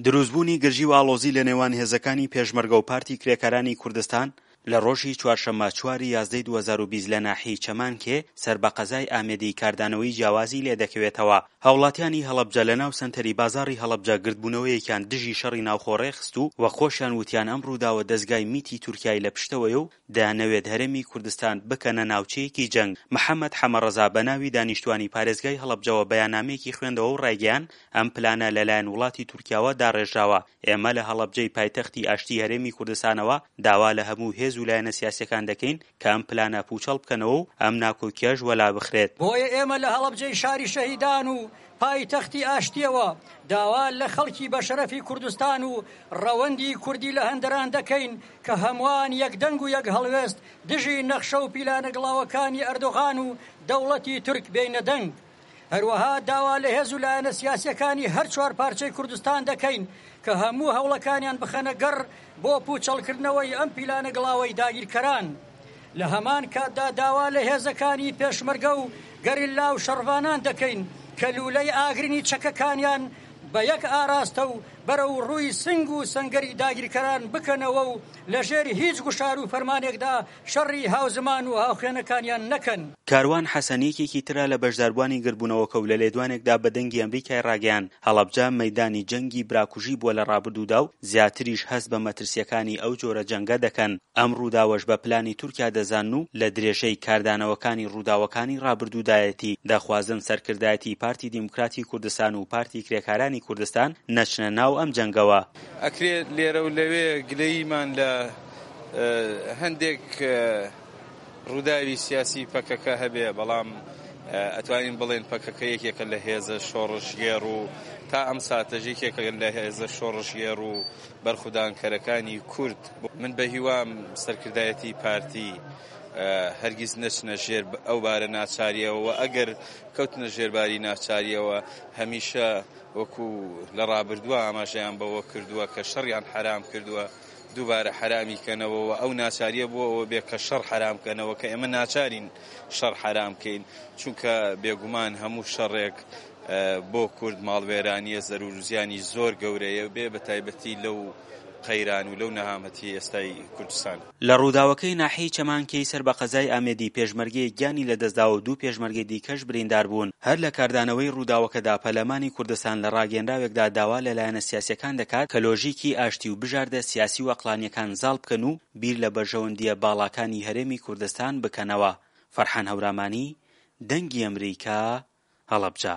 دروستبوونی گرژی و ئاڵۆزی لە نێوان هێزەکانی پێشمەرگە و پارتی کرێکارانی کوردستان لە ڕۆژی چوارشەممە چوار ی یازدەی 2020 لە ناحیەی چەمانکێ سەر بە قەزای ئامێدی کاردانەوەی جیاوازی لێدەکەوێتەوە. هاوڵاتیانی هەڵەبجە لە ناو سەنتەری بازاڕی هەڵەبجە گردبوونەوەیەکیان دژی شەڕی ناوخۆ ڕێکخست و وەک خۆشیان وتیان ئەم ڕووداوە دەزگای میتی تورکیای لە پشتەوەیە و دەیانەوێت هەرێمی کوردستان بکەنە ناوچەیەکی جەنگ. محەمەد حەمەڕەزا بە ناوی دانیشتوانی پارێزگای هەڵەبجەوە بەیاننامەیەکی خوێندەوە و ڕایگەیاند، ئەم پلانە لەلایەن وڵاتی تورکیاوە داڕێژراوە، ئێمە لە هەڵەبجەی پایتەختی ئاشتی هەرێمی کوردستانەوە داوا لە هەموو هێز و لایەنە سیاسیەکان دەکەین کە ئەم پلانە پوچەڵ بکەنەوە و ئەم ناکۆکیەش وەلا بخرێت. بۆیە ئێمە لە هەڵەبجەی شاری شەهیدان و پایتەختی ئاشتیەوە داوا لە خەڵکی بەشەرەفی کوردستان و ڕەوەندی کوردی لە هەندەران دەکەین کە هەمووان یەک دەنگ و یەک هەڵوێست دژی نەخشە و پیلانە گڵاوەکانی ئەردۆغان و دەوڵەتی تورک بێینە دەنگ. هەروەها داوا لە هێز و لایەنە سیاسییەکانی هەر چوارپارچەی کوردستان دەکەین کە هەموو هەوڵەکانیان بخەنە گەڕ بۆ پووچەڵکردنەوەی ئەم پیلانە گڵاوەی داگیرکەران. لە هەمان کاتدا داوا لە هێزەکانی پێشمەرگە و گەریلا و شەڕڤانان دەکەین کە لوولەی ئاگرینی چەکەکانیان بە یەک ئاراستە و بەرەو ڕووی سنگ و سەنگەری داگیرکەران بکەنەوە و لەژێر هیچ گوشار و فەرمانێکدا شەڕی هاوزمان و هاوخوێنەکانیان نەکەن. کاروان حەسەن یەکێکی ترە لە بەشداربووانی گردبوونەوەکە و لە لێدوانێکدا بە دەنگی ئەمریکای ڕاگەیاند، هەڵەبجە مەیدانی جەنگی براکوژی بووە لە ڕابردوودا و زیاتریش هەست بە مەترسییەکانی ئەو جۆرە جەنگە دەکەن، ئەم ڕووداوەش بە پلانی تورکیا دەزانن و لە درێژەی کاردانەوەکانی ڕووداوەکانی ڕابردوودایەتی، دەخوازن سەرکردایەتی پارتی دیموکراتی کوردستان و پارتی کرێکارانی کوردستان نەچنە ناو ئەم جەنگەوە. ئەکرێ لێرە و لەوێ گلەییمان لە هەندێک ڕووداوی سیاسی پەکەکە هەبێ، بەڵام ئەتوانین بڵێن پەکەکە یەکێکە لە هێزە شۆڕشگێڕ و تا ئەم ساتەش یەکێکە لە هێزە شۆڕشگێڕ و بەرخودانکەرەکانی کورد. من بە هیوام سەرکردایەتی پارتی هەرگیز نەچنە ژێر ئەو بارە ناچارییەوە و ئەگەر کەوتنە ژێر باری ناچارییەوە هەمیشە وەکو لە ڕابردووە ئاماژەیان بەوە کردووە کە شەڕیان حەرام کردووە، دووبارە حەرامی کەنەوە و ئەو ناچارییە بۆ ئەوە بێ کە شەڕ حەرام کەنەوە کە ئێمە ناچارین شەڕ حەرام کەین چونکە بێگومان هەموو شەڕێک بۆ کورد ماڵوێرانییە زەرور و زیانی زۆر گەورەیە بێ بە تایبەتی لەو قەیران و لەو نەهامەتی ئێستای کوردستان. لە ڕووداوەکەی ناحیەی چەمانکێی سەر بە قەزای ئامێدی پێشمەرگەیەک گیانی لەدەستداوە و دوو پێشمەرگەی دیکەش بریندار بوون. هەر لە کاردانەوەی ڕووداوەکەدا پەرلەمانی کوردستان لە ڕاگەیەنراوێکدا داوا لە لایەنە سیاسیەکان دەکات کە لۆژیکی ئاشتی و بژاردە سیاسی و ئەقڵانیەکان زاڵ بکەن و بیر لە بەرژەوەندییە باڵاکانی هەرێمی کوردستان بکەنەوە. فەرحان هەورامانی، دەنگی ئەمریکا، هەڵەبجە.